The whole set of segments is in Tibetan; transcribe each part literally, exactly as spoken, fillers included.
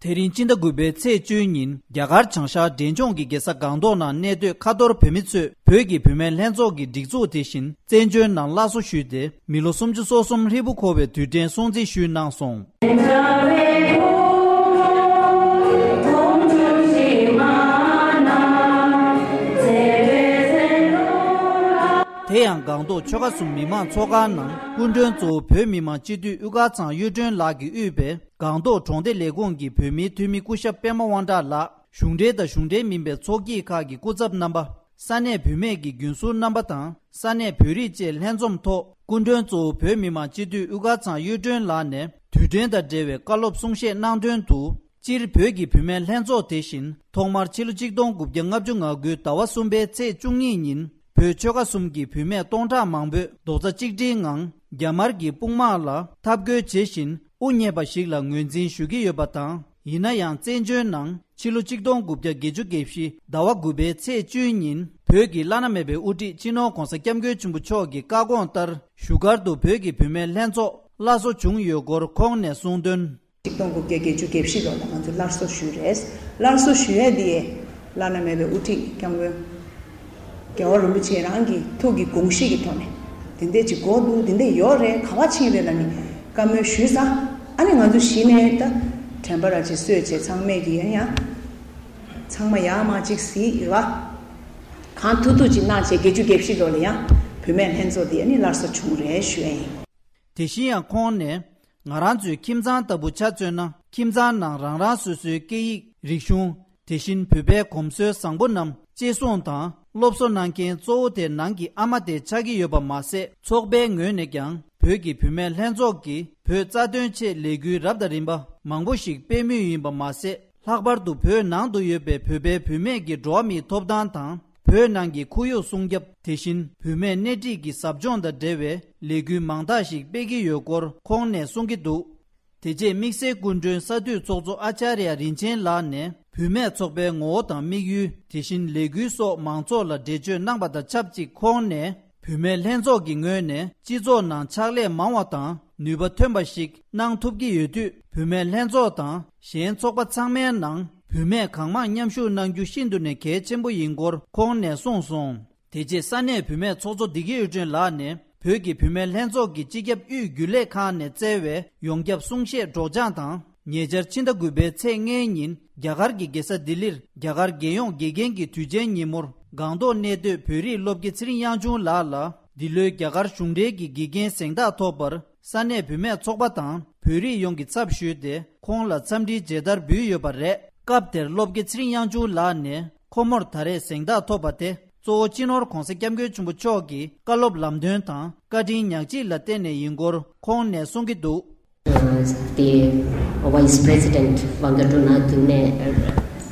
དེ་རིང་སྤྱི་ཟླ་དགུ་པའི་ཚེས་བཅུའི་ཉིན་རྒྱ་གར་བྱང་ཤར་འབྲས་ལྗོངས་ཀྱི་རྒྱལ་ས་སྒང་ཏོག་ནང་གནས་སྡོད་ཁ་ཐོར་བོད་མི་ཚོས་བོད་ཀྱི་བུད་མེད་ལྷན་ཚོགས་ཀྱི་སྒྲིག་འཛུགས་དེ་བཞིན་བཙན་བྱོལ་ནང་སླར་གསོ་ཞུས་ཏེ། མི་ལོ་སུམ་ཅུ་སོ་གསུམ་ཧྲིལ་པོ་འཁོར་བའི་དུས་དྲན་སྲུང་བརྩི་ཞུས་གནང་སོང་། དེ་ཡང་སྒང་ཏོག་ཆོལ་ཁ་གསུམ་མི་མང་ཚོགས་ཁང་ནང་སྐུ་མགྲོན་གཙོ་བོ་བོད་མི་མང་སྤྱི་འཐུས་དབུ་དཀར་ཚང་གཡུ་སྒྲོན་ལགས་ཀྱིས་དབུས་པའི་སྒང་ཏོག་གྲོང་སྡེ་ལས་ཁུངས་ཀྱི་བོད་མིའི་འཐུས་མི་སྐུ་ཞབས་པད་མ་དབང་གྲགས་ལགས། གཞུང་འབྲེལ་དང་གཞུང་འབྲེལ་མིན་པའི་ཚོགས་སྐྱིད་ཁག་གི་སྐུ་ཚབ་རྣམ་པ། ས་གནས་བུད་མེད་ཀྱི་རྒྱུན་ཟུར་རྣམ་པ་དང་ས་གནས་བོད་རིགས་བཅས་ལྷན་འཛོམས་ཐོག་སྐུ་མགྲོན་གཙོ་བོ་བོད་མི་མང་སྤྱི་འཐུས་དབུ་དཀར་ཚང་གཡུ་སྒྲོན་ལགས་ནས་དུས་དྲན་དང་འབྲེལ་བའི་བཀའ་སློབ་གསུང་བཤད་གནང་དོན་དུ། སྤྱིར་བོད་ཀྱི་བུད་མེད་ལྷན་ཚོགས་དེ་བཞིན་ཐོག་མར་ཕྱི་ལོ་ཆིག་སྟོང་དགུ་བརྒྱ་ལྔ་བཅུ་ང་དགུ་ཟླ་བ་གསུམ་པའི་ཚེས་བཅུ་གཉིས་ཉིན་བོད་ཆོལ་ཁ་གསུམ་གྱི་བུད་མེད་སྟོང་ཕྲག་མང་པོས་རྡོག་རྩ་གཅིག་སྒྲིལ་ངང་རྒྱ་དམར་གྱི་དཔུང་དམག་ལ་འཐབ་རྒོལ་བྱེད་བཞིན་དབུ་བརྙེས་པ་ཞིག་ལ་ངོས་འཛིན་ཞུ་གི་ཡོད་པ་དང་། ཡིན་ན་ཡང་བཙན་བྱོལ་ནང་ཕྱི་ལོ་ཆིག་སྟོང་དགུ་བརྒྱ་བརྒྱད་ཅུ་གྱ་བཞི་ཟླ་བ་དགུ་པའི་ཚེས་བཅུའི་ཉིན་བོད་ཀྱི་བླ་ན་མེད་པའི་དབུ་ཁྲིད་སྤྱི་ནོར་༧གོང་ས་༧སྐྱབས་མགོན་ཆེན་པོ་མཆོག་གི་བཀའ་དགོངས་ལྟར་བཞུགས་སྒར་དུ་བོད་ཀྱི་བུད་མེད་ལྷན་ཚོགས་སླར་གསོ་བྱུང་ཡོད་སྐོར་ཁོང་ནས་གསུངས་དོན། ཆིག་སྟོང་དགུ་བརྒྱ་བརྒྱད་ཅུ་གྱ་བཞི་ལོ་ལ་ང་ཚོས་སླར་གསོ་ཞུས་རེད། སླར་གསོ་ཞུ་ཡས་དེ་བླ་ན་མེད་པའི་དབུ་ཁྲིད་སྐྱབས་མགོན་རྒྱལ་བ་རིན་པོ་ཆེ་རང་གི་ཐུགས་ཀྱི་དགོངས་གཞི་གི་ཐོག་ནས་དེ་འདྲས་ཅིག་དགོས་འདུག་དེ་འདྲས་ཡོད་རེད། ག་བ་ཕྱིན་རེད་ལབ་ནས་བཀའ་མོལ་ཞུས་ཙང་། ཨ་ནི་ང་ཚོ་གཞི་ནས་ད་དྲན་པ་ར་ཅིག་གསོས་བྱས་ཚང་མས་ཀྱི་ཡང་ཡང་ཚང་མ་ཡར་མར་ཅིག་གཟིགས་རེད་བ། གང་ཐུབ་ཐུབ་ཅིག་གནང་བྱས་བརྒྱད་ཅུ་གྱ་བཞི་ལོ་ལ་ཡང་བུད་མེད་ལྷན་ཚོགས་འདི་ཨ་ནི་སླར་གསོ་བྱུང་རེད་ཞུ་ཡ་ཡིན། དེ་བཞིན་ཡང་ཁོང་ནས། ང་རང་ཚོའི་ཁྱིམ་ཚང་ལྟ་བུ་ཆ་མཚོན་ན། ཁྱིམ་ཚང་ནང་རང་རང་སོ་སོའི་སྐད་ཡིག་རིག་གཞུང་། དེ་བཞིན་བོད་པའི་གོམས་སྲོལ་བཟང་པོ་རྣམས་གཅེས་སྲུང་དང་སློབ་གསོ་གནང་མཁན་གཙོ་བོ་དེ་ནང་གི་ཨ་མ་དེ་ཆགས་ཀྱི་ཡོད་པ་མ་ཟད། ཚོགས་པའི་ངོས་ནས་ཀྱང་བོད་ཀྱི་བུད་མེད་ལྷན་ཚོགས་ཀྱིས་བོད་རྩ་དོན་ཆེད་ལས་འགུལ་རབ་དང་རིམ་པ་མང་པོ་ཞིག་སྤེལ་མུས་ཡིན་པ་མ་ཟད། ལྷག་པར་དུ་བོད་ནང་དུ་ཡོད་པའི་བོད་པའི་བུད་མེད་ཀྱི་འགྲོ་བ་མིའི་ཐོབ་ཐང་དང་། བོད་ནང་གི་ཁོར་ཡུག་སྲུང་སྐྱོབ། དེ་བཞིན་བུད་མེད་སྣེ་ཁྲིད་ཀྱི་ཟབ་སྦྱོང་དང་འབྲེལ་བའི་ལས་འགུལ་མང་དག་ཞིག་སྤེལ་གྱི་ཡོད་སྐོར་ཁོང་ནས་གསུང་གི་འདུག་དེ་རྗེས་དམིགས་བསལ་སྐུ་མགྲོན་ས་འཐུས་ཚོགས་གཙོ་ཨ་ཅཱརྱ་རིན་ཆེན་ལགས་ནས་བུད་མེད་ཚོགས་པའི་ངོ་བོ་དང་དམིགས་ཡུལ། དེ་བཞིན་ལས་འགུལ་སོགས་མང་ཚོགས་ལ་འགྲེལ་བརྗོད་གནང་པ་དང་ཆབས་ཅིག་ཁོང་ནས། བུད་མེད་ལྷན་ཚོགས་ཀྱི་ངོས་ནས་སྤྱི་ཚོགས་ནང་ཕྱག་ལས་མང་བ་དང་ནུས་པ་ཐོན་པ་ཞིག་གནང་ཐུབ་ཀྱི་ཡོད་དུས། བུད་མེད་ལྷན་ཚོགས་དང་གཞན་ཚོགས་པ་ཚང་མའི་ནང་བུད་མེད་གང་མང་མཉམ་ཞུགས་གནང་རྒྱུ་ཤིན་ཏུ་ནས་གལ་ཆེན་པོ་ཡིན་སྐོར་ཁོང་ནས་གསུངས་སོང་། དེ་རྗེས་ས་གནས་བུད་མེད་ཚོགས་གཙོ་བདེ་སྐྱིད་གཡུ་སྒྲོན་ལགས་ནས་བོད་ཀྱི་བུད་མེད་ལྷན་ཚོགས་ཀྱི་སྤྱི་ཁྱབ་དབུས་རྒྱུན་ལས་ཁང་ནས་བསྩལ་བའི་ཡོངས་ཁྱབ་གསུང་བཤད་སྒྲོག་སྦྱང་དང་། ཉེ་ཆར་ཕྱི་ཟླ་དགུ་པའི་ཚེས་ལྔའི་ཉིན་རྒྱ་གར་གྱི་རྒྱལ་ས་ལྡི་ལིར་རྒྱ་གར་རྒྱལ་ཡོངས་དགེ་རྒན་གྱི་དུས་ཆེན་ཉིན་མོར་སྒང་ཏོག་གནས་སྡོད་བོད་རིགས་སློབ་དགེ་ཚེ་རིང་དབྱངས་ཆུང་ལགས་ལ་འདི་ལོའི་རྒྱ་གར་གཞུང་འབྲེལ་གྱི་དགེ་རྒན་གཟེངས་རྟགས་ཐོབ་པར་ས་གནས་བུད་མེད་ཚོགས་པ་དང་བོད་རིགས་ཡོངས་ཀྱི་ཚབ་ཞུས་ཏེ་ཁོང་ལ་འཚམས་འདྲིའི་མཇལ་དར་འབུལ་ཡོད་པ་རེད། སྐབས་དེར་སློབ་དགེ་ཚེ་རིང་དབྱངས་ཆུང་ལགས་ནས་ཁོ་མོར་ད་རེས་གཟེངས་རྟགས་ཐོབ་པ་དེ་གཙོ་བོ་སྤྱི་ནོར་༧གོང་ས་༧སྐྱབས་མགོན་ཆེན་པོ་མཆོག་གི་བཀའ་སློབ་ལམ་སྟོན་དང་བཀའ་དྲིན་ཉག་གཅིག་ལ་བརྟེན་ནས་ཡིན་སྐོར་ཁོང་ནས་གསུང་གི་འདུག་དེ་Vice President Vangatunathu ནས་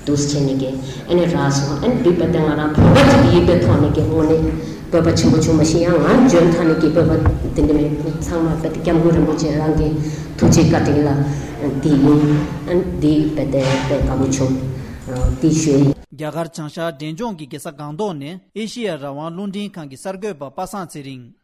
འདུག་བྱས་ནས་ཀྱི་ཨ་ནི་རག་སོང་། ཨ་ནི་འདི་པ་དེ་ང་རང་བོད་པ་ཅིག་ཡིན་པའི་ཐོག་ནས་ཀྱི་དངོས་གནས་བོད་པ་ཆེན་པོ་བྱུང་མ་ཤེས། ཡང་ང་འཇོན་ཐང་ནས་ཀྱི་བོད་པ་དེ་འདྲ་མེད། ཚང་མ་པ་དེ་སྐྱབས་མགོན་རིན་པོ་ཆེ་རང་གི་ཐུགས་རྗེ་བཀའ་དྲིན་ལ་འདི་ཡིན། ཨ་ནི་འདི་པ་དེ་དཔེ་དགའ་པོ་བྱུང་། འདི་ཞུ་ཡིན། རྒྱ་གར་བྱང་ཤར་འབྲས་ལྗོངས་ཀྱི་རྒྱལ་ས་སྒང་ཏོག་ནས་ཨེ་ཤི་ཡ་རང་དབང་རླུང་འཕྲིན་ཁང་གི་གསར་འགོད་པ་པ་སངས་ཚེ་རིང་།